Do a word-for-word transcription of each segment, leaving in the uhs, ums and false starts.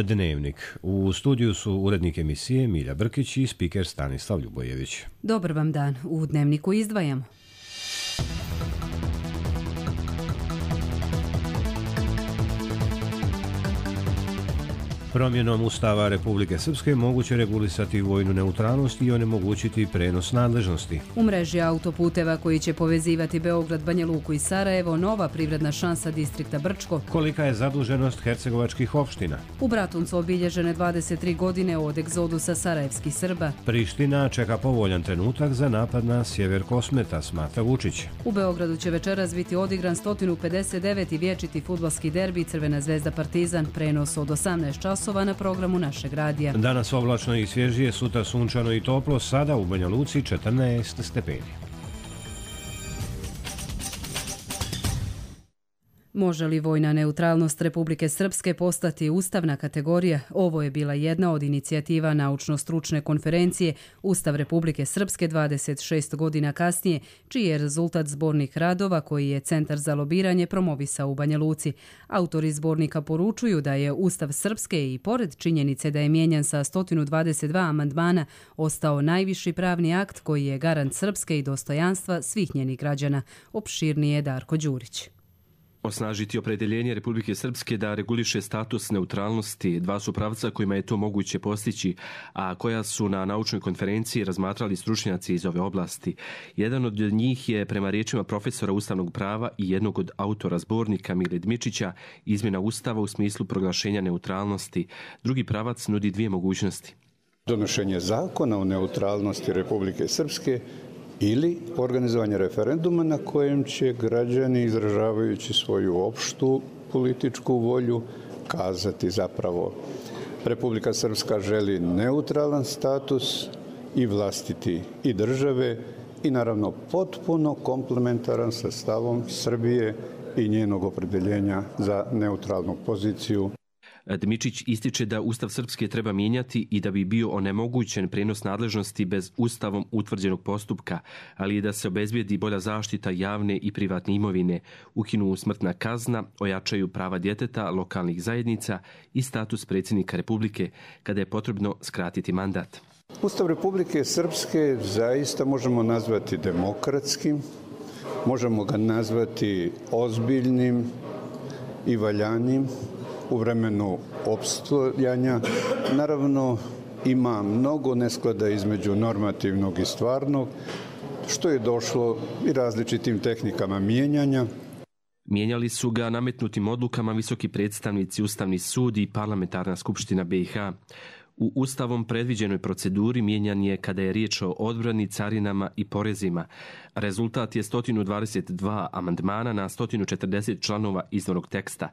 Dnevnik. U studiju su urednik emisije Milja Brkić i spiker Stanislav Ljubojević. Dobar vam dan. U Dnevniku izdvajamo. Promjenom Ustava Republike Srpske moguće regulisati vojnu neutralnost i onemogućiti prenos nadležnosti. U mreži autoputeva koji će povezivati Beograd, Banja Luku i Sarajevo, nova privredna šansa distrikta Brčko. Kolika je zaduženost hercegovačkih opština? U Bratuncu obilježene dvadeset tri godine od egzodusa sarajevskih Srba. Priština čeka povoljan trenutak za napad na sjever Kosmeta, smatra Vučić. U Beogradu će večeras biti odigran sto pedeset deveti vječiti fudbalski derbi Crvena zvezda Partizan, prenos od osamnaest časova na programu našeg radija. Danas oblačno i svježije, sutra sunčano i toplo, sada u Banja Luci četrnaest stepeni. Može li vojna neutralnost Republike Srpske postati ustavna kategorija? Ovo je bila jedna od inicijativa naučno-stručne konferencije Ustav Republike Srpske dvadeset šest godina kasnije, čiji je rezultat zbornih radova koji je Centar za lobiranje promovisao u Banja Luci. Autori zbornika poručuju da je Ustav Srpske i pored činjenice da je mijenjan sa sto dvadeset dva amandmana ostao najviši pravni akt koji je garant Srpske i dostojanstva svih njenih građana. Opširnije Darko Đurić. Osnažiti opredjeljenje Republike Srpske da reguliše status neutralnosti dva su pravca kojima je to moguće postići, a koja su na naučnoj konferenciji razmatrali stručnjaci iz ove oblasti. Jedan od njih je, prema riječima profesora ustavnog prava i jednog od autora zbornika Mile Dmičića, izmjena Ustava u smislu proglašenja neutralnosti. Drugi pravac nudi dvije mogućnosti. Donošenje zakona o neutralnosti Republike Srpske ili organizovanje referenduma na kojem će građani, izražavajući svoju opštu političku volju, kazati zapravo Republika Srpska želi neutralan status i vlastiti i države i naravno potpuno komplementaran sa stavom Srbije i njenog opredjeljenja za neutralnu poziciju. Dmičić ističe da Ustav Srpske treba mijenjati i da bi bio onemogućen prenos nadležnosti bez Ustavom utvrđenog postupka, ali i da se obezbijedi bolja zaštita javne i privatne imovine, ukinu smrtna kazna, ojačaju prava djeteta, lokalnih zajednica i status predsjednika Republike kada je potrebno skratiti mandat. Ustav Republike Srpske zaista možemo nazvati demokratskim, možemo ga nazvati ozbiljnim i valjanim u vremenu opstojanja. Naravno, ima mnogo nesklada između normativnog i stvarnog, što je došlo i različitim tehnikama mijenjanja. Mijenjali su ga nametnutim odlukama visoki predstavnici, Ustavni sud i Parlamentarna skupština B i H. U Ustavom predviđenoj proceduri mijenjan je kada je riječ o odbrani, carinama i porezima. Rezultat je sto dvadeset dva amandmana na sto četrdeset članova izvornog teksta.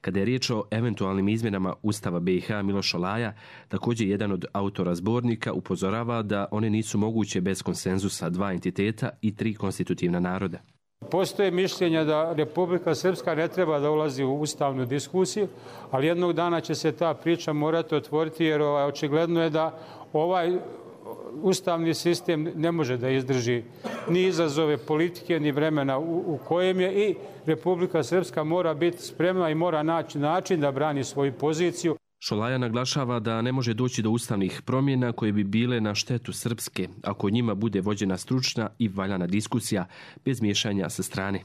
Kada je riječ o eventualnim izmjenama Ustava B i H, Miloš Olaja, također jedan od autora zbornika, upozorava da one nisu moguće bez konsenzusa dva entiteta i tri konstitutivna naroda. Postoje mišljenja da Republika Srpska ne treba da ulazi u ustavnu diskusiju, ali jednog dana će se ta priča morati otvoriti jer ovaj, očigledno je da ovaj ustavni sistem ne može da izdrži ni izazove politike, ni vremena u, u kojem je i Republika Srpska mora biti spremna i mora naći način da brani svoju poziciju. Šolaja naglašava da ne može doći do ustavnih promjena koje bi bile na štetu Srpske, ako njima bude vođena stručna i valjana diskusija bez miješanja sa strane.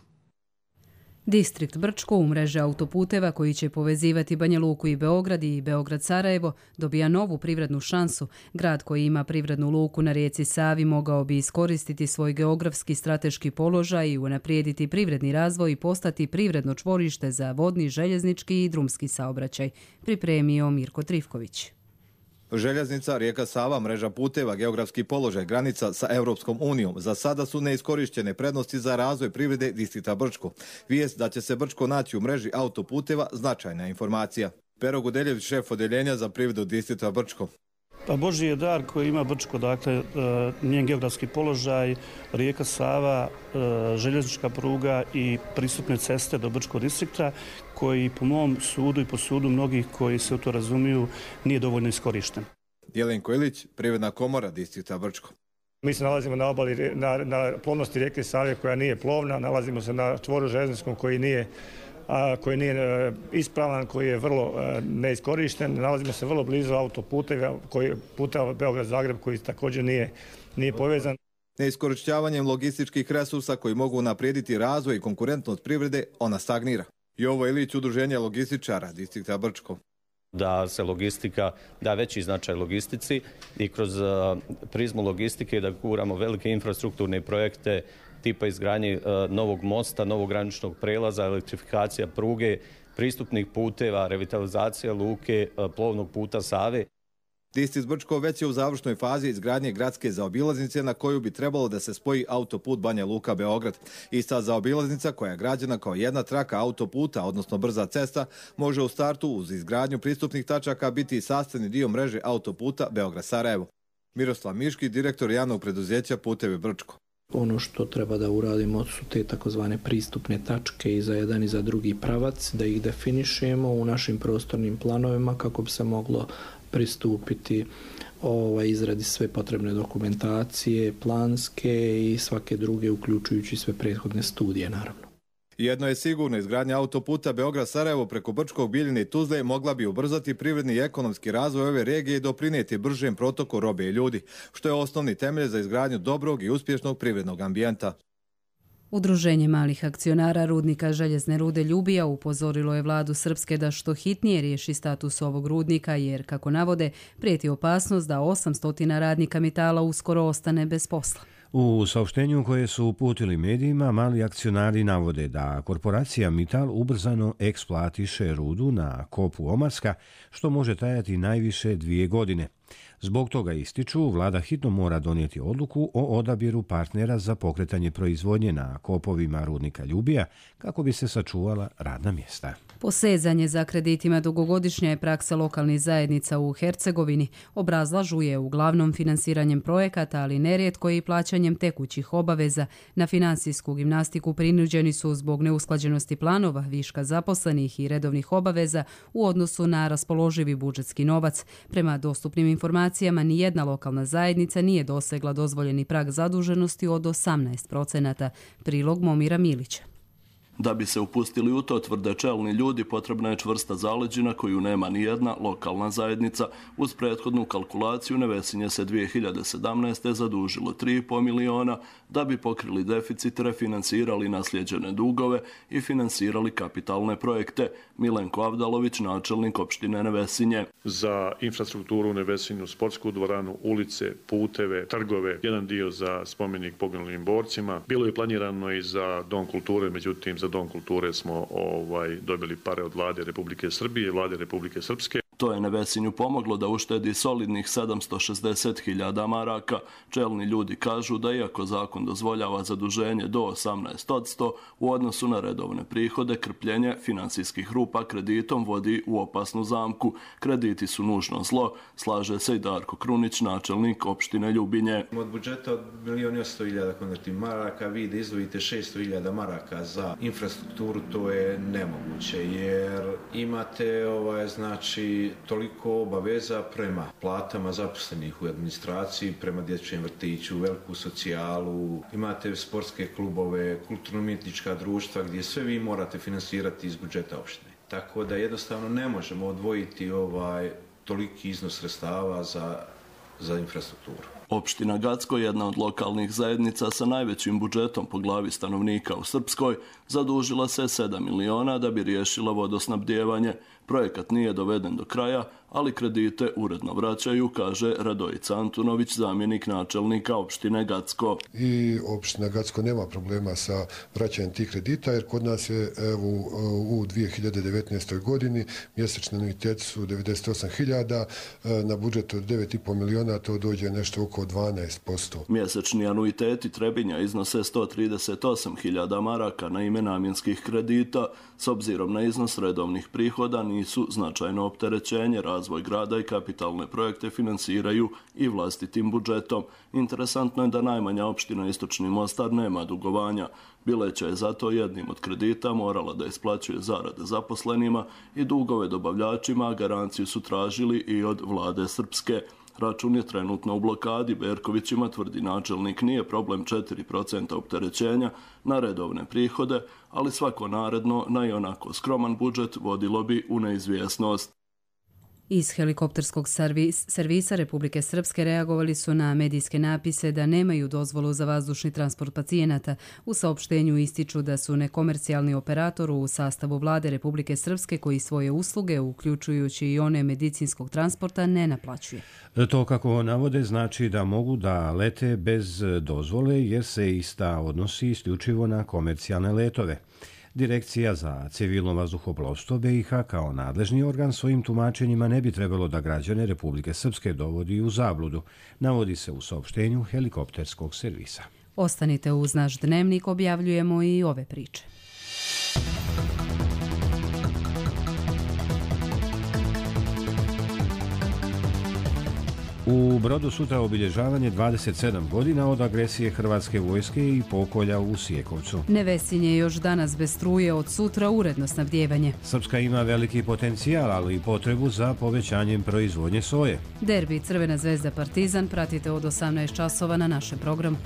Distrikt Brčko u mreže autoputeva koji će povezivati Banja Luku i Beograd i Beograd-Sarajevo dobija novu privrednu šansu. Grad koji ima privrednu luku na rijeci Savi mogao bi iskoristiti svoj geografski strateški položaj i unaprijediti privredni razvoj i postati privredno čvorište za vodni, željeznički i drumski saobraćaj, pripremio Mirko Trifković. Željeznica, rijeka Sava, mreža puteva, geografski položaj, granica sa Europskom unijom. Za sada su neiskorištene prednosti za razvoj privrede distrikta Brčko. Vijest da će se Brčko naći u mreži autoputeva značajna informacija. Pero Gudeljević, šef odeljenja za privredu distrikta Brčko. Pa Božji je dar koji ima Brčko, dakle njen geografski položaj, rijeka Sava, željeznička pruga i pristupne ceste do Brčkog distrikta koji po mom sudu i po sudu mnogih koji se u to razumiju nije dovoljno iskorišten. Jelenko Ilić, privredna komora distrikta Brčko. Mi se nalazimo na obali, na, na plovnosti rijeke Save koja nije plovna, nalazimo se na čvoru željezničkom koji nije a, koji nije ispravan, koji je vrlo neiskorišten. Nalazimo se vrlo blizu autoputeva, koji puteva Beograd-Zagreb koji također nije, nije povezan. Neiskorišćavanjem logističkih resursa koji mogu unaprijediti razvoj i konkurentnost privrede, ona stagnira. Jovo Ilić, udruženje logističara distrikta Brčko. Da se logistika, da veći značaj logistici i kroz prizmu logistike da guramo velike infrastrukturne projekte tipa izgradnje novog mosta, novog graničnog prelaza, elektrifikacija pruge, pristupnih puteva, revitalizacija luke, plovnog puta Save. Distrikt Brčko već je u završnoj fazi izgradnje gradske zaobilaznice na koju bi trebalo da se spoji autoput Banja Luka-Beograd. Ista zaobilaznica koja je građena kao jedna traka autoputa, odnosno brza cesta, može u startu uz izgradnju pristupnih tačaka biti sastavni dio mreže autoputa Beograd-Sarajevo. Miroslav Miški, direktor javnog preduzeća Putevi Brčko. Ono što treba da uradimo su te takozvane pristupne tačke i za jedan i za drugi pravac, da ih definišemo u našim prostornim planovima kako bi se moglo pristupiti ovaj, izradi sve potrebne dokumentacije, planske i svake druge, uključujući sve prethodne studije, naravno. Jedno je sigurno, izgradnja autoputa Beograd-Sarajevo preko Brčkog, Bijeljine i Tuzle mogla bi ubrzati privredni i ekonomski razvoj ove regije i doprinijeti bržem protoku robe i ljudi, što je osnovni temelj za izgradnju dobrog i uspješnog privrednog ambijenta. Udruženje malih akcionara rudnika željezne rude Ljubija upozorilo je vladu Srpske da što hitnije riješi status ovog rudnika jer, kako navode, prijeti opasnost da osamsto radnika Mitala uskoro ostane bez posla. U saopštenju koje su uputili medijima, mali akcionari navode da korporacija Mital ubrzano eksploatiše rudu na kopu Omarska, što može trajati najviše dvije godine. Zbog toga ističu, vlada hitno mora donijeti odluku o odabiru partnera za pokretanje proizvodnje na kopovima rudnika Ljubija kako bi se sačuvala radna mjesta. Posezanje za kreditima dugogodišnja je praksa lokalnih zajednica u Hercegovini. Obrazlažu je uglavnom finansiranjem projekata, ali nerijetko i plaćanjem tekućih obaveza. Na finansijsku gimnastiku prinuđeni su zbog neusklađenosti planova, viška zaposlenih i redovnih obaveza u odnosu na raspoloživi budžetski novac. Prema dostupnim informacijama, nijedna lokalna zajednica nije dosegla dozvoljeni prag zaduženosti od osamnaest procenata. Prilog Momira Milića. Da bi se upustili u to, tvrde čelni ljudi, potrebna je čvrsta zaleđina koju nema ni jedna lokalna zajednica. Uz prethodnu kalkulaciju Nevesinje se dvije hiljade sedamnaeste. zadužilo tri i pol miliona da bi pokrili deficit, refinansirali nasljeđene dugove i finansirali kapitalne projekte. Milenko Avdalović, načelnik opštine Nevesinje. Za infrastrukturu u Nevesinju, sportsku dvoranu, ulice, puteve, trgove, jedan dio za spomenik poginulim borcima. Bilo je planirano i za Dom kulture, međutim za Dom kulture smo ovaj, dobili pare od vlade Republike Srbije i vlade Republike Srpske. To je Nevesinju pomoglo da uštedi solidnih sedamsto šezdeset hiljada maraka. Čelni ljudi kažu da iako zakon dozvoljava zaduženje do osamnaest posto, u odnosu na redovne prihode, krpljenje finansijskih rupa kreditom vodi u opasnu zamku. Krediti su nužno zlo, slaže se i Darko Krunić, načelnik opštine Ljubinje. Od budžeta od milijon i osamsto hiljada konvertnih maraka vi da izdvojite šesto hiljada maraka za infrastrukturu, to je nemoguće jer imate ovaj, znači toliko obaveza prema platama zaposlenih u administraciji, prema dječjem vrtiću, veliku socijalu, imate sportske klubove, kulturno-umjetnička društva gdje sve vi morate finansirati iz budžeta opštine. Tako da jednostavno ne možemo odvojiti ovaj toliki iznos sredstava za, za infrastrukturu. Opština Gacko, jedna od lokalnih zajednica sa najvećim budžetom po glavi stanovnika u Srpskoj, zadužila se sedam miliona da bi riješila vodosnabdijevanje. Projekat nije doveden do kraja, ali kredite uredno vraćaju, kaže Radojica Antunović, zamjenik načelnika opštine Gacko. I opština Gacko nema problema sa vraćanjem tih kredita, jer kod nas je evo, u dvije hiljade devetnaestoj. godini mjesečni anuiteti su devedeset osam hiljada, na budžet od devet i pol miliona to dođe nešto oko dvanaest posto. Mjesečni anuiteti Trebinja iznose sto trideset osam hiljada maraka na ime namjenskih kredita. S obzirom na iznos redovnih prihoda nisu značajno opterećenje, razvoj grada i kapitalne projekte finansiraju i vlastitim budžetom. Interesantno je da najmanja opština Istočni Mostar nema dugovanja. Bileća je zato jednim od kredita morala da isplaćuje zarade zaposlenima i dugove dobavljačima, a garanciju su tražili i od vlade Srpske. Račun je trenutno u blokadi. Berkovićima, tvrdi načelnik, nije problem četiri procenta opterećenja na redovne prihode, ali svako naredno na i onako skroman budžet vodilo bi u neizvjesnost. Iz helikopterskog servis, servisa Republike Srpske reagovali su na medijske napise da nemaju dozvolu za vazdušni transport pacijenata. U saopštenju ističu da su nekomercijalni operator u sastavu vlade Republike Srpske koji svoje usluge, uključujući i one medicinskog transporta, ne naplaćuje. To, kako navode, znači da mogu da lete bez dozvole jer se ista odnosi isključivo na komercijalne letove. Direkcija za civilno vazduhoplovstvo B i H kao nadležni organ svojim tumačenjima ne bi trebalo da građane Republike Srpske dovodi u zabludu, navodi se u saopštenju helikopterskog servisa. Ostanite uz naš dnevnik, objavljujemo i ove priče. U Brodu sutra obilježavanje dvadeset sedam godina od agresije hrvatske vojske i pokolja u Sijekovcu. Nevesinje je još danas bez struje, od sutra uredno snabdijevanje. Srpska ima veliki potencijal, ali i potrebu za povećanjem proizvodnje soje. Derbi Crvena zvezda Partizan pratite od osamnaest časova na našem programu.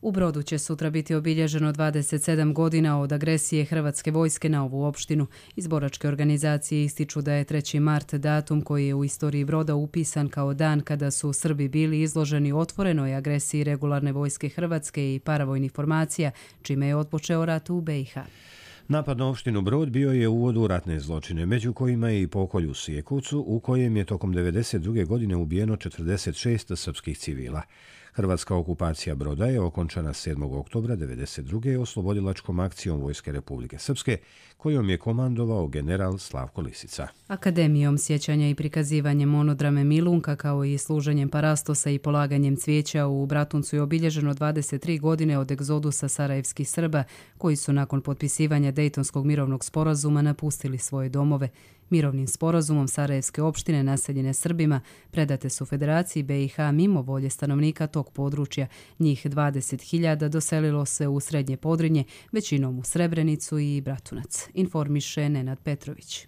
U Brodu će sutra biti obilježeno dvadeset sedam godina od agresije hrvatske vojske na ovu opštinu. Iz boračke organizacije ističu da je treći mart datum koji je u istoriji Broda upisan kao dan kada su Srbi bili izloženi otvorenoj agresiji regularne vojske Hrvatske i paravojnih formacija, čime je otpočeo rat u B i H. Napad na opštinu Brod bio je uvod u ratne zločine, među kojima je i pokolj u Sijekovcu, u kojem je tokom devedeset druge godine ubijeno četrdeset šest srpskih civila. Hrvatska okupacija Broda je okončana sedmog oktobra devedeset druge oslobodilačkom akcijom Vojske Republike Srpske, kojom je komandovao general Slavko Lisica. Akademijom sjećanja i prikazivanjem monodrame Milunka, kao i služenjem parastosa i polaganjem cvijeća u Bratuncu je obilježeno dvadeset tri godine od egzodusa sarajevskih Srba, koji su nakon potpisivanja Dejtonskog mirovnog sporazuma napustili svoje domove. Mirovnim sporazumom sarajevske opštine naseljene Srbima predate su Federaciji B i H mimo volje stanovnika tog područja. Njih dvadeset hiljada doselilo se u Srednje Podrinje, većinom u Srebrenicu i Bratunac, informiše Nenad Petrović.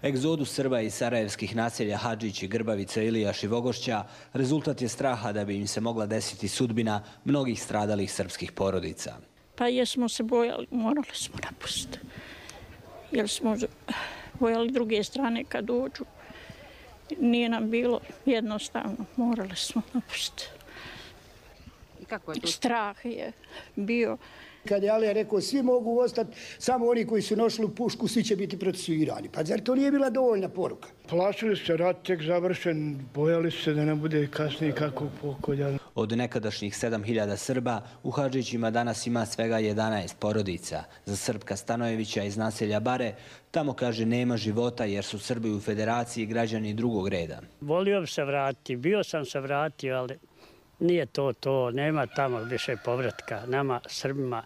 Egzodus Srba iz sarajevskih naselja Hadžić i Grbavica, Ilijaš i Vogošća rezultat je straha da bi im se mogla desiti sudbina mnogih stradalih srpskih porodica. Pa jesmo se bojali, morali smo napustiti. Jer smo bojali druge strane kad dođu. Nije nam bilo jednostavno, morali smo napustiti. I kako je to? Strah je bio. Kad je Alija rekao svi mogu ostati, samo oni koji su nošli u pušku, svi će biti procesuirani. Pa zar to nije bila dovoljna poruka? Plašili se, rat tek završen, bojali se da ne bude kasnije kakvog pokolja. Od nekadašnjih sedam hiljada Srba u Hadžićima danas ima svega jedanaest porodica. Za Srpka Stanojevića iz naselja Bare, tamo kaže nema života jer su Srbi u Federaciji građani drugog reda. Volio bi se vratiti, bio sam se vratio, ali nije to to, nema tamo više povratka nama Srbima,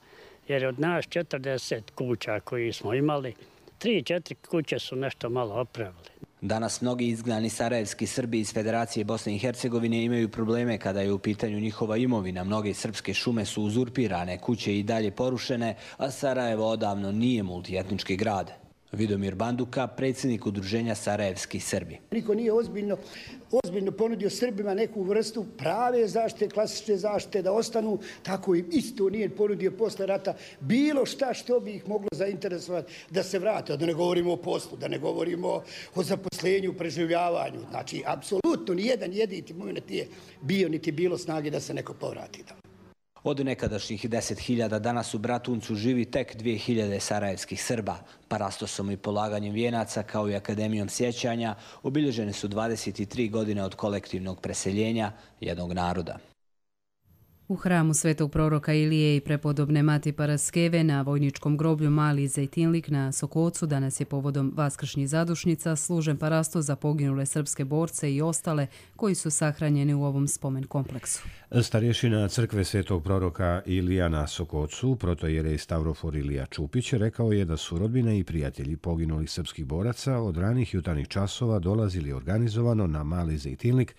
jer od nas četrdeset kuća koji smo imali, tri, četiri kuće su nešto malo opravili. Danas mnogi izgnani sarajevski Srbi iz Federacije Bosne i Hercegovine imaju probleme kada je u pitanju njihova imovina. Mnoge srpske šume su uzurpirane, kuće i dalje porušene, a Sarajevo odavno nije multietnički grad. Vidomir Banduka, predsjednik udruženja Sarajevski Srbi. Niko nije ozbiljno, ozbiljno ponudio Srbima neku vrstu prave zaštite, klasične zaštite, da ostanu, tako im isto nije ponudio posle rata bilo šta što bi ih moglo zainteresovati da se vrate. Da ne govorimo o poslu, da ne govorimo o zaposlenju, preživljavanju. Znači, apsolutno nijedan jedini moment nije bio niti bilo snage da se neko povrati. Od nekadašnjih deset hiljada danas u Bratuncu živi tek dvije hiljade sarajevskih Srba. Parastosom i polaganjem vijenaca kao i Akademijom sjećanja obilježene su dvadeset tri godine od kolektivnog preseljenja jednog naroda. U hramu svetog proroka Ilije i prepodobne Mati Paraskeve na vojničkom groblju Mali Zejtinlik na Sokocu danas je povodom vaskršnjih zadušnica služen parasto za poginule srpske borce i ostale koji su sahranjeni u ovom spomen kompleksu. Starješina crkve svetog proroka Ilija na Sokocu, protojerej Stavrofor Ilija Čupić, rekao je da su rodbine i prijatelji poginulih srpskih boraca od ranih jutarnjih časova dolazili organizovano na Mali Zejtinlik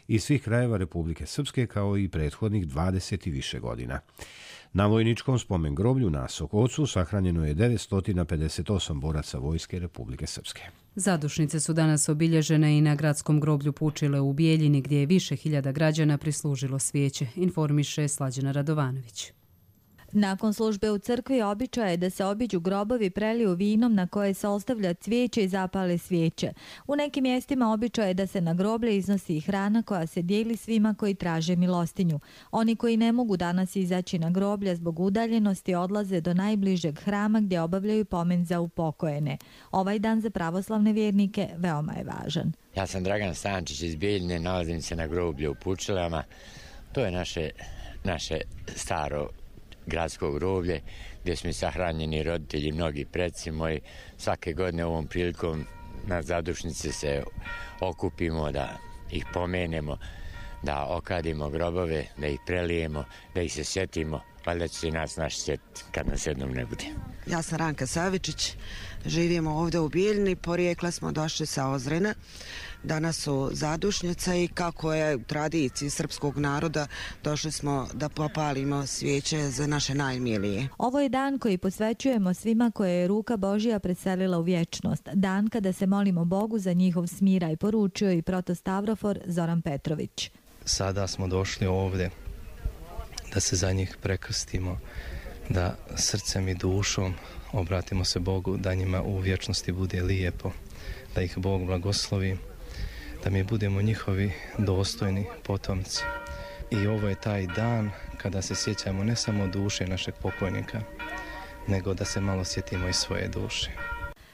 iz svih krajeva Republike Srpske kao i prethodnih dvadeset i više godina. Na vojničkom spomen groblju na Sokocu sahranjeno je devetsto pedeset osam boraca Vojske Republike Srpske. Zadušnice su danas obilježene i na gradskom groblju Pučile u Bijeljini, gdje je više hiljada građana prislužilo svijeće, informiše Slađana Radovanović. Nakon službe u crkvi običaj je da se obiđu grobovi, preliju vinom na koje se ostavlja cvijeće i zapale svijeće. U nekim mjestima običaj je da se na groblje iznosi i hrana koja se dijeli svima koji traže milostinju. Oni koji ne mogu danas izaći na groblje zbog udaljenosti odlaze do najbližeg hrama gdje obavljaju pomen za upokojene. Ovaj dan za pravoslavne vjernike veoma je važan. Ja sam Dragan Stančić iz Bijeljine, nalazim se na groblju u Pučilama. To je naše, naše staro gradsko groblje gdje su mi sahranjeni roditelji, mnogi preci moji. Svake godine ovom prilikom na zadušnici se okupimo da ih pomenemo, da okadimo grobove, da ih prelijemo, da ih se sjetimo, valjda će se nas naš sjetiti kad nas jednom ne bude. Ja sam Ranka Savičić, živimo ovdje u Bijeljini, porijekla smo došli sa Ozrena. Danas su zadušnjice i kako je u tradiciji srpskog naroda došli smo da popalimo svijeće za naše najmilije. Ovo je dan koji posvećujemo svima koje je ruka Božja preselila u vječnost. Dan kada se molimo Bogu za njihov smiraj, poručio i protostavrofor Zoran Petrović. Sada smo došli ovdje da se za njih prekrstimo, da srcem i dušom obratimo se Bogu, da njima u vječnosti bude lijepo, da ih Bog blagoslovi, da mi budemo njihovi dostojni potomci. I ovo je taj dan kada se sjećamo ne samo duše našeg pokojnika, nego da se malo sjetimo i svoje duše.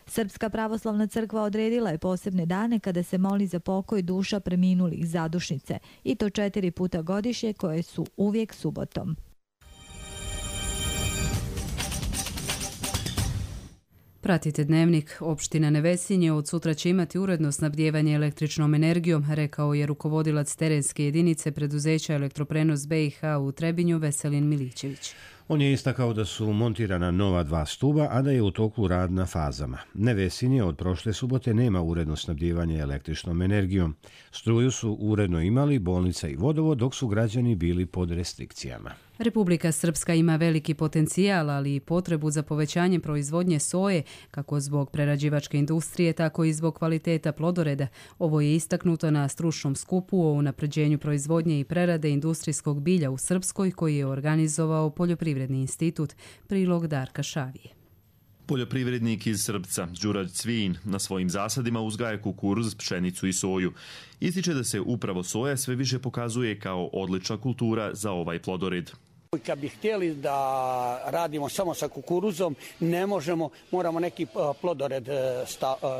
Srpska pravoslavna crkva odredila je posebne dane kada se moli za pokoj duša preminulih zadušnice, i to četiri puta godišnje, koje su uvijek subotom. Pratite Dnevnik. Opština Nevesinje od sutra će imati uredno snabdijevanje električnom energijom, rekao je rukovodilac terenske jedinice preduzeća Elektroprenos B i H u Trebinju Veselin Milićević. On je istakao da su montirana nova dva stuba, a da je u toku rad na fazama. Nevesinje od prošle subote nema uredno snabdijevanje električnom energijom. Struju su uredno imali bolnica i vodovod, dok su građani bili pod restrikcijama. Republika Srpska ima veliki potencijal, ali i potrebu za povećanjem proizvodnje soje, kako zbog prerađivačke industrije, tako i zbog kvaliteta plodoreda. Ovo je istaknuto na stručnom skupu o unapređenju proizvodnje i prerade industrijskog bilja u Srpskoj, koji je organizovao Poljoprivredni institut. Prilog Darka Šavije. Poljoprivrednik iz Srpca, Đura Cvin, na svojim zasadima uzgaja kukuruz, pšenicu i soju. Ističe da se upravo soja sve više pokazuje kao odlična kultura za ovaj plodored. Kad bi htjeli da radimo samo sa kukuruzom, ne možemo, moramo neki plodored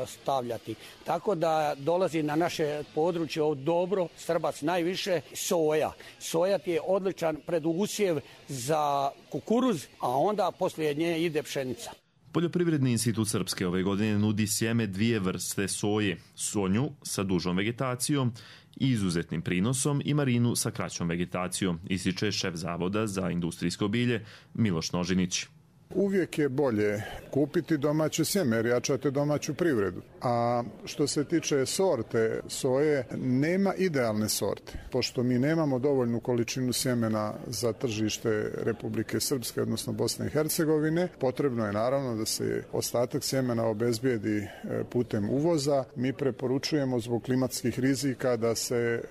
stavljati. Tako da dolazi na naše područje od dobro, Srbac najviše, soja. Soja je odličan predusjev za kukuruz, a onda poslije nje ide pšenica. Poljoprivredni institut Srpske ove godine nudi sjeme dvije vrste soje, sonju sa dužom vegetacijom i izuzetnim prinosom i marinu sa kraćom vegetacijom, ističe šef Zavoda za industrijsko bilje Miloš Nožinić. Uvijek je bolje kupiti domaće sjeme jer jačate domaću privredu. A što se tiče sorte soje, nema idealne sorte. Pošto mi nemamo dovoljnu količinu sjemena za tržište Republike Srpske, odnosno Bosne i Hercegovine, potrebno je naravno da se ostatak sjemena obezbijedi putem uvoza. Mi preporučujemo zbog klimatskih rizika da se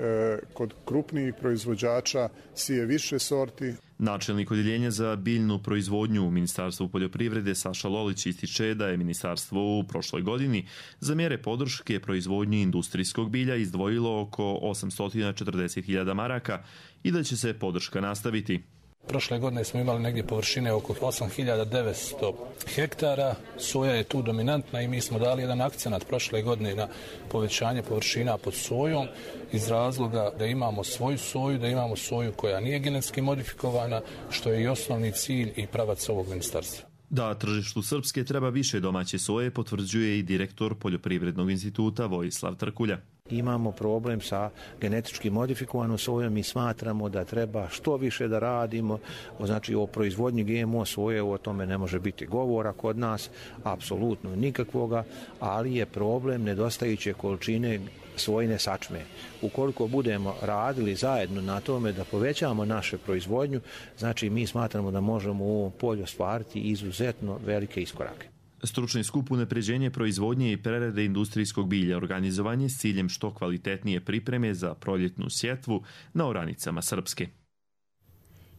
kod krupnijih proizvođača sije više sorti. Načelnik odjeljenja za biljnu proizvodnju u Ministarstvu poljoprivrede Saša Lolić ističe da je ministarstvo u prošloj godini za mjere podrške proizvodnji industrijskog bilja izdvojilo oko osamsto četrdeset hiljada maraka i da će se podrška nastaviti. Prošle godine smo imali negdje površine oko osam hiljada devetsto hektara, soja je tu dominantna i mi smo dali jedan akcenat prošle godine na povećanje površina pod sojom iz razloga da imamo svoju soju, da imamo soju koja nije genetski modifikovana, što je i osnovni cilj i pravac ovog ministarstva. Da tržištu Srpske treba više domaće soje potvrđuje i direktor Poljoprivrednog instituta Vojislav Trkulja. Imamo problem sa genetički modifikovanom sojom i smatramo da treba što više da radimo, znači o proizvodnji G M O soje, o tome ne može biti govora kod nas, apsolutno nikakvoga, ali je problem nedostajuće količine svojine sačme. Ukoliko budemo radili zajedno na tome da povećamo našu proizvodnju, znači mi smatramo da možemo u ovom polju ostvariti izuzetno velike iskorake. Stručni skup unapređenje proizvodnje i prerade industrijskog bilja organizovan je s ciljem što kvalitetnije pripreme za proljetnu sjetvu na oranicama Srpske.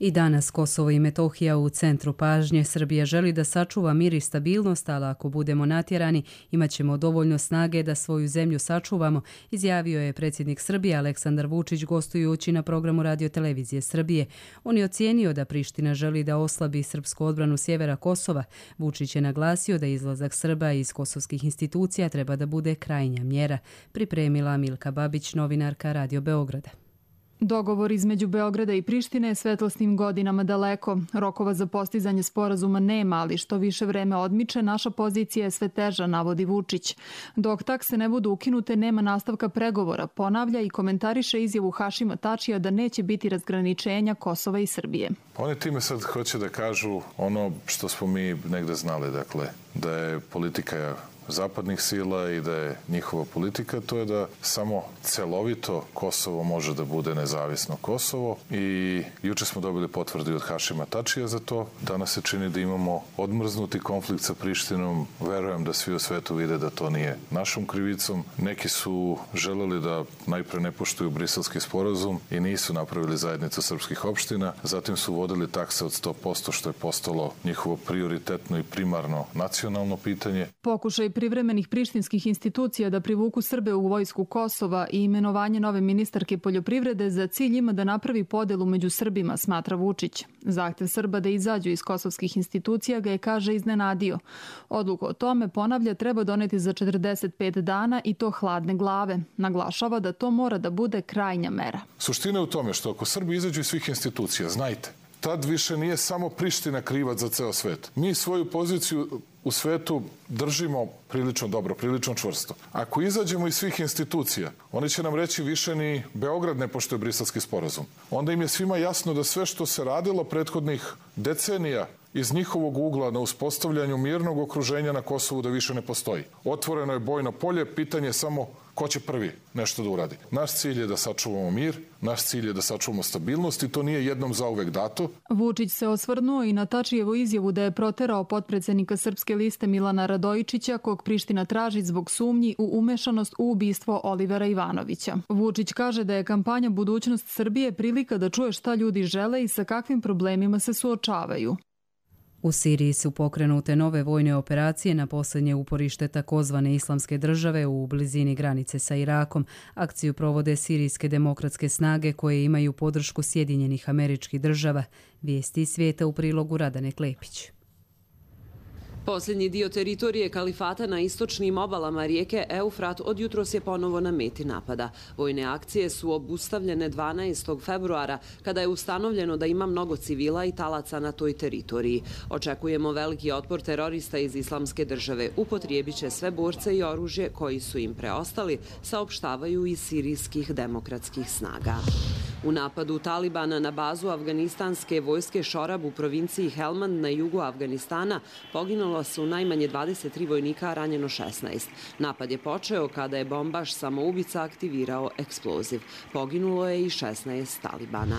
I danas Kosovo i Metohija u centru pažnje. Srbija želi da sačuva mir i stabilnost, ali ako budemo natjerani, imat ćemo dovoljno snage da svoju zemlju sačuvamo, izjavio je predsjednik Srbije Aleksandar Vučić gostujući na programu Radio-televizije Srbije. On je ocijenio da Priština želi da oslabi srpsku odbranu sjevera Kosova. Vučić je naglasio da izlazak Srba iz kosovskih institucija treba da bude krajnja mjera. Pripremila Milka Babić, novinarka Radio Beograda. Dogovor između Beograda i Prištine je svetlosnim godinama daleko. Rokova za postizanje sporazuma nema, ali što više vreme odmiče, naša pozicija je sve teža, navodi Vučić. Dok takse ne budu ukinute, nema nastavka pregovora, ponavlja i komentariše izjavu Hašima Tačija da neće biti razgraničenja Kosova i Srbije. Oni time sad hoće da kažu ono što smo mi negde znali, dakle, da je politika zapadnih sila i da je njihova politika, to je da samo celovito Kosovo može da bude nezavisno Kosovo i juče smo dobili potvrdu od Hašima Tačija za to. Danas se čini da imamo odmrznuti konflikt sa Prištinom. Verujem da svi u svetu vide da to nije našom krivicom. Neki su želeli da najpre ne poštuju Briselski sporazum i nisu napravili zajednicu srpskih opština. Zatim su vodili takse od sto posto što je postalo njihovo prioritetno i primarno nacionalno pitanje. Pokušaj privremenih prištinskih institucija da privuku Srbe u vojsku Kosova i imenovanje nove ministarke poljoprivrede za cilj ima da napravi podelu među Srbima, smatra Vučić. Zahtev Srba da izađu iz kosovskih institucija ga je, kaže, iznenadio. Odluku o tome, ponavlja, treba doneti za četrdeset pet dana i to hladne glave. Naglašava da to mora da bude krajnja mera. Suština je u tome što ako Srbi izađu iz svih institucija, znajte, tad više nije samo Priština krivac za ceo svet. Mi svoju poziciju u svetu držimo prilično dobro, prilično čvrsto. Ako izađemo iz svih institucija, oni će nam reći više ni Beograd ne poštuje Briselski sporazum. Onda im je svima jasno da sve što se radilo prethodnih decenija iz njihovog ugla na uspostavljanju mirnog okruženja na Kosovu da više ne postoji. Otvoreno je bojno polje, pitanje je samo ko će prvi nešto da uradi. Naš cilj je da sačuvamo mir, naš cilj je da sačuvamo stabilnost i to nije jednom zauvek dato. Vučić se osvrnuo i na Tačijevu izjavu da je proterao potpredsednika Srpske liste Milana Radojičića, kog Priština traži zbog sumnji u umešanost u ubistvo Olivera Ivanovića. Vučić kaže da je kampanja Budućnost Srbije prilika da čuje šta ljudi žele i sa kakvim problemima se suočavaju. U Siriji su pokrenute nove vojne operacije na posljednje uporište takozvane islamske države u blizini granice sa Irakom. Akciju provode sirijske demokratske snage koje imaju podršku Sjedinjenih Američkih Država. Vijesti svijeta u prilogu Radane Klepić. Posljednji dio teritorije kalifata na istočnim obalama rijeke Eufrat od jutros je ponovo na meti napada. Vojne akcije su obustavljene dvanaestog februara kada je ustanovljeno da ima mnogo civila i talaca na toj teritoriji. Očekujemo veliki otpor terorista iz Islamske države. Upotrijebit će sve borce i oružje koji su im preostali, saopštavaju iz sirijskih demokratskih snaga. U napadu Talibana na bazu afganistanske vojske Šorab u provinciji Helmand na jugu Afganistana poginulo su najmanje dvadeset tri vojnika, a ranjeno šesnaest. Napad je počeo kada je bombaš samoubica aktivirao eksploziv. Poginulo je i šesnaest Talibana.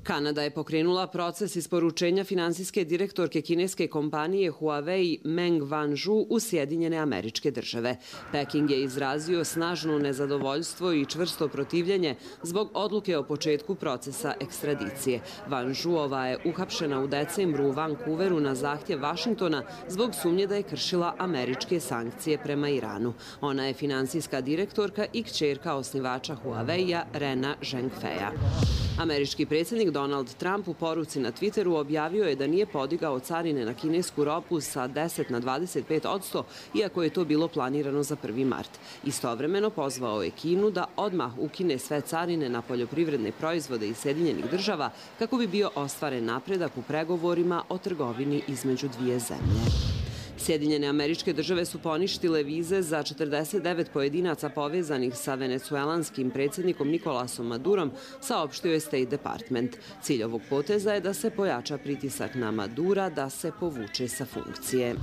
Kanada je pokrenula proces isporučenja finansijske direktorke kineske kompanije Huawei Meng Wanzhou u Sjedinjene Američke Države. Peking je izrazio snažno nezadovoljstvo i čvrsto protivljenje zbog odluke o početku procesa ekstradicije. Wanzhouova je uhapšena u decembru u Vancouveru na zahtjev Vašingtona zbog sumnje da je kršila američke sankcije prema Iranu. Ona je finansijska direktorka i kćerka osnivača Huawei-a Rena Zhengfeja. Američki predsjednik Donald Trump u poruci na Twitteru objavio je da nije podigao carine na kinesku robu sa deset na dvadeset pet odsto, iako je to bilo planirano za prvi mart. Istovremeno pozvao je Kinu da odmah ukine sve carine na poljoprivredne proizvode iz Sjedinjenih Država kako bi bio ostvaren napredak u pregovorima o trgovini između dvije zemlje. Sjedinjene Američke Države su poništile vize za četrdeset devet pojedinaca povezanih sa venecuelanskim predsjednikom Nikolasom Madurom, saopštio je State Department. Cilj ovog poteza je da se pojača pritisak na Madura da se povuče sa funkcije.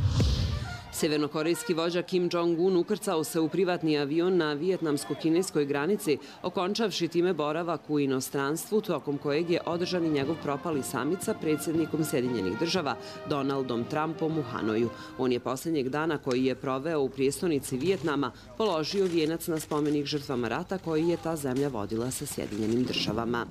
Severnokorejski vođa Kim Jong-un ukrcao se u privatni avion na vijetnamsko-kineskoj granici, okončavši time boravak u inostranstvu, tokom kojeg je održan i njegov propali samit sa predsjednikom Sjedinjenih država Donaldom Trumpom u Hanoju. On je posljednjeg dana koji je proveo u prijestolnici Vijetnama položio vijenac na spomenik žrtvama rata koji je ta zemlja vodila sa Sjedinjenim državama.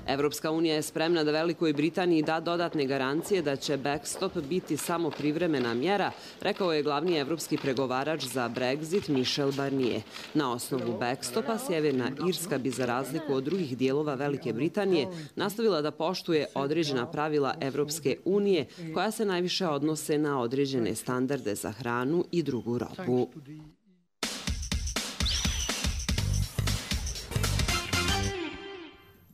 Evropska unija je spremna da Velikoj Britaniji da dodatne garancije da će backstop biti samo privremena mjera, rekao je glavni evropski pregovarač za Brexit Michel Barnier. Na osnovu backstopa Sjeverna Irska bi za razliku od drugih dijelova Velike Britanije nastavila da poštuje određena pravila Evropske unije koja se najviše odnose na određene standarde za hranu i drugu robu.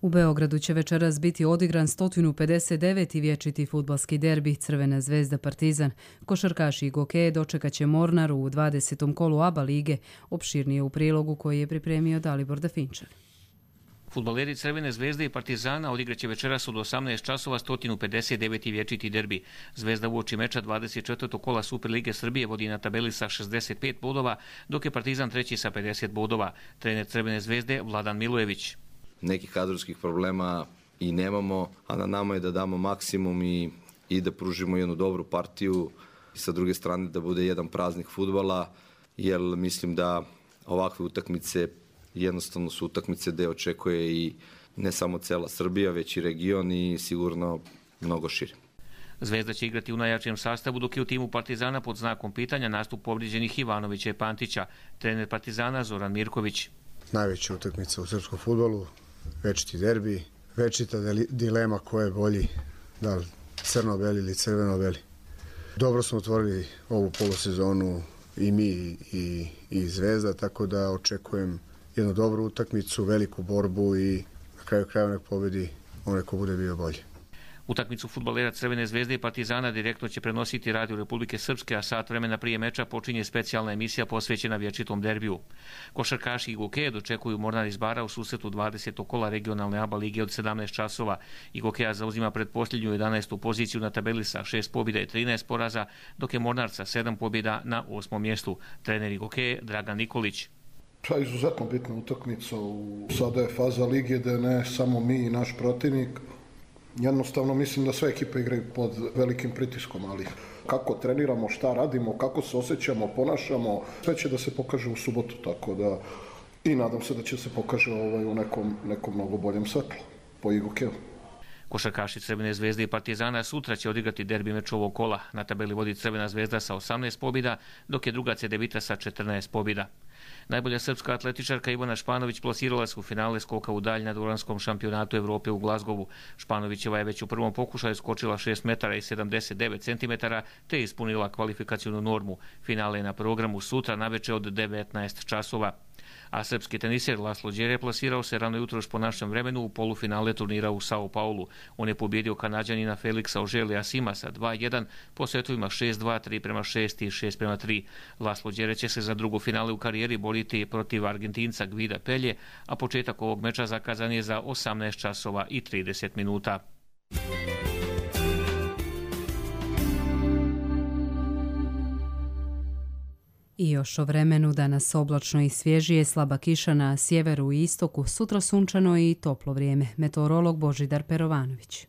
U Beogradu će večeras biti odigran sto pedeset deveti vječiti fudbalski derbi Crvena zvezda Partizan. Košarkaši i gokeje dočekat će Mornar u dvadesetom kolu ABA lige, opširnije u prilogu koji je pripremio Dalibor Dafinčar. Fudbaleri Crvene zvezde i Partizana odigraće večeras od osamnaest časova sto pedeset deveti vječiti derbi. Zvezda uoči meča dvadeset četvrtog kola Superlige Srbije vodi na tabeli sa šezdeset pet bodova, dok je Partizan treći sa pedeset bodova. Trener Crvene zvezde Vladan Milojević. Nekih kadrovskih problema i nemamo, a na nama je da damo maksimum i, i da pružimo jednu dobru partiju i sa druge strane da bude jedan praznik fudbala, jer mislim da ovakve utakmice jednostavno su utakmice gde očekuje i ne samo cela Srbija, već i region i sigurno mnogo šire. Zvezda će igrati u najjačijem sastavu, dok je u timu Partizana pod znakom pitanja nastup povrijeđenih Ivanovića i Pantića. Trener Partizana Zoran Mirković. Najveća utakmica u srpskom fudbalu, večiti derbi, večita dilema ko je bolji, da li crno-beli ili crveno-beli. Dobro smo otvorili ovu polosezonu i mi i, i Zvezda, tako da očekujem jednu dobru utakmicu, veliku borbu i na kraju krajeva nek pobedi onaj ko bude bio bolji. Utakmicu fudbalera Crvene zvezde i Partizana direktno će prenositi Radio Republike Srpske, a sat vremena prije meča počinje specijalna emisija posvećena vječitom derbiju. Košarkaši i gokeje dočekuju Mornar iz Bara u susretu dvadesetog kola regionalne ABA lige od sedamnaest časova. I gokeja zauzima predposljednju jedanaestu poziciju na tabeli sa šest pobjeda i trinaest poraza, dok je Mornar sa sedam pobjeda na osmom mjestu. Trener i gokeje Dragan Nikolić. To je izuzetno bitna utakmica. Sada je faza lige da ne samo mi i naš protivnik. Jednostavno mislim da sve ekipe igraju pod velikim pritiskom, ali kako treniramo, šta radimo, kako se osjećamo, ponašamo, sve će da se pokaže u subotu, tako da i nadam se da će se pokaže ovaj, u nekom, nekom mnogo boljem svetlu po Igokeju. Košarkaši Crvene zvezde i Partizana sutra će odigrati derbi meč ovog kola. Na tabeli vodi Crvena zvezda sa osamnaest pobjeda, dok je druga Cedevita sa četrnaest pobjeda. Najbolja srpska atletičarka Ivana Španović plasirala se u finale skoka u dalj na dvoranskom šampionatu Evrope u Glazgovu. Španovićeva je već u prvom pokušaju skočila šest metara i sedamdeset devet centimetara te ispunila kvalifikacionu normu. Finale je na programu sutra naveče od devetnaest časova. A srpski teniser Laslo Đere plasirao se rano jutroš po našem vremenu u polufinale turnira u Sao Paulu. On je pobjedio Kanađanina Felixa Oželija Simasa dva jedan po setovima šest dva, tri prema šest i šest prema tri. Laslo Đere će se za drugo finale u karijeri boriti protiv Argentinca Gvida Pelje, a početak ovog meča zakazan je za osamnaest časova i trideset minuta. I još o vremenu, danas oblačno i svježije, slaba kiša na sjeveru i istoku, sutra sunčano i toplo vrijeme. Meteorolog Božidar Perovanović.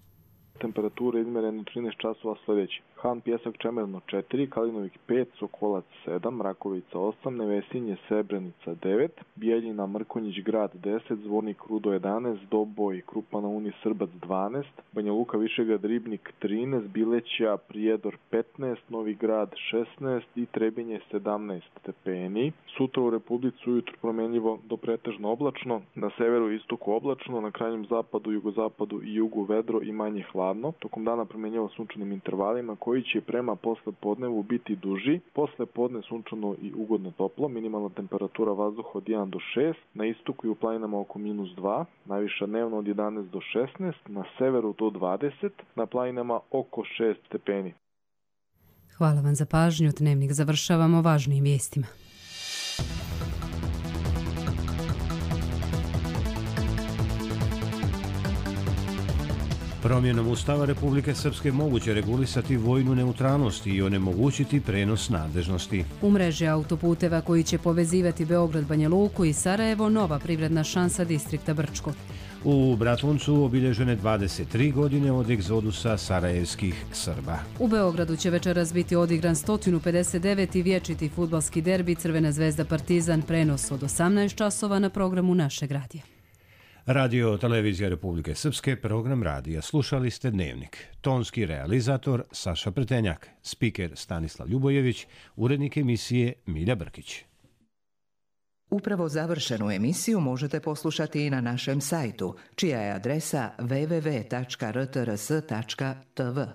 Temperature izmjerene trinaest časova sljedeći. Han, Pjesak, Čemerno četiri, Kalinovik pet, Sokolac sedam, Rakovica osam, Nevesinje, Srebrenica devet, Bijeljina, Mrkonjić, Grad deset, Zvornik, Rudo jedanaest, Doboj, Krupa na Uni, Srbac dvanaest, Banja Luka, Višegrad, Ribnik trinaest, Bileća, Prijedor petnaest, Novi Grad šesnaest i Trebinje sedamnaest stepeni. Sutra u Republici ujutro promjenljivo do pretežno oblačno, na severu i istoku oblačno, na krajnjem zapadu, jugozapadu i jugu vedro i manje hladno. Tokom dana promjenljivo sunčanim intervalima koji će prema posle podnevu biti duži. Posle podne sunčano i ugodno toplo, minimalna temperatura vazduha od jedan do šest, na istoku i u planinama oko minus dva, najviša dnevno od jedanaest do šesnaest, na severu do dvadeset, na planinama oko šest stepeni. Hvala vam za pažnju, dnevnik završavamo važnijim vijestima. Promjenom Ustava Republike Srpske moguće regulisati vojnu neutralnost i onemogućiti prenos nadležnosti. U mreži autoputeva koji će povezivati Beograd, Banja Luku i Sarajevo, nova privredna šansa distrikta Brčko. U Bratuncu obilježene dvadeset tri godine od egzodusa sarajevskih Srba. U Beogradu će večeras biti odigran sto pedeset deveti vječiti fudbalski derbi Crvena zvezda Partizan, prenos od osamnaest časova na programu našeg radija. Radio Televizija Republike Srpske, program radija. Slušali ste Dnevnik. Tonski realizator Saša Pretenjak, spiker Stanislav Ljubojević, urednik emisije Milja Brkić. Upravo završenu emisiju možete poslušati i na našem sajtu, čija je adresa w w w tačka r t r s tačka t v.